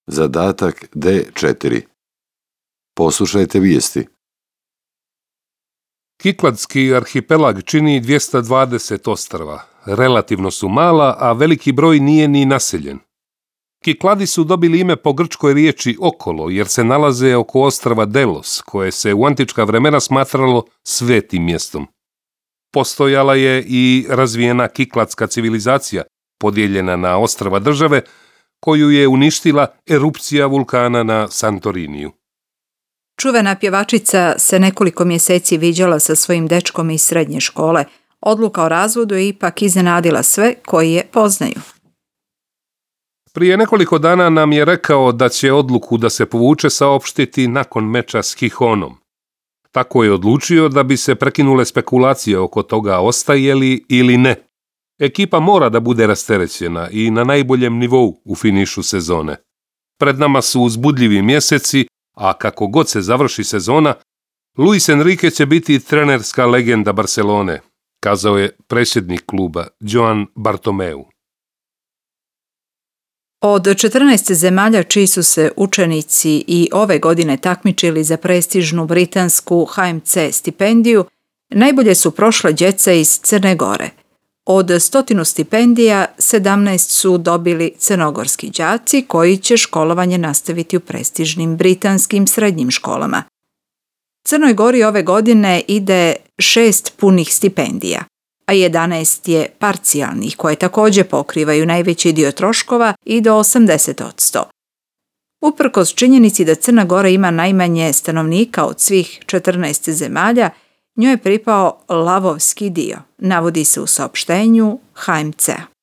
Zadatak D4. Poslušajte vijesti. Kikladski arhipelag čini 220 ostrva. Relativno su mala, a veliki broj nije ni naseljen. Kikladi su dobili ime po grčkoj riječi okolo, jer se nalaze oko ostrva Delos, koje se u antička vremena smatralo svetim mjestom. Postojala je i razvijena kikladska civilizacija, podijeljena na ostrva države, koju je uništila erupcija vulkana na Santoriniju. Čuvena pjevačica se nekoliko mjeseci viđala sa svojim dečkom iz srednje škole. Odluka o razvodu je ipak iznenadila sve koji je poznaju. Prije nekoliko dana nam je rekao da će odluku da se povuče saopštiti nakon meča s Gijonom. Tako je odlučio da bi se prekinule spekulacije oko toga ostaje li ili ne. Ekipa mora da bude rasterećena i na najboljem nivou u finišu sezone. Pred nama su uzbudljivi mjeseci, a kako god se završi sezona, Luis Enrique će biti trenerska legenda Barcelone, kazao je predsjednik kluba Joan Bartomeu. Od 14 zemalja čiji su se učenici i ove godine takmičili za prestižnu britansku HMC stipendiju, najbolje su prošle djeca iz Crne Gore. Od 100 stipendija 17 su dobili crnogorski đaci koji će školovanje nastaviti u prestižnim britanskim srednjim školama. Crnoj Gori ove godine ide 6 punih stipendija, a 11 je parcijalnih koje također pokrivaju najveći dio troškova i do 80%. Uprkos činjenici da Crna Gora ima najmanje stanovnika od svih 14 zemalja, njoj je pripao lavovski dio, navodi se u saopštenju HMC-a.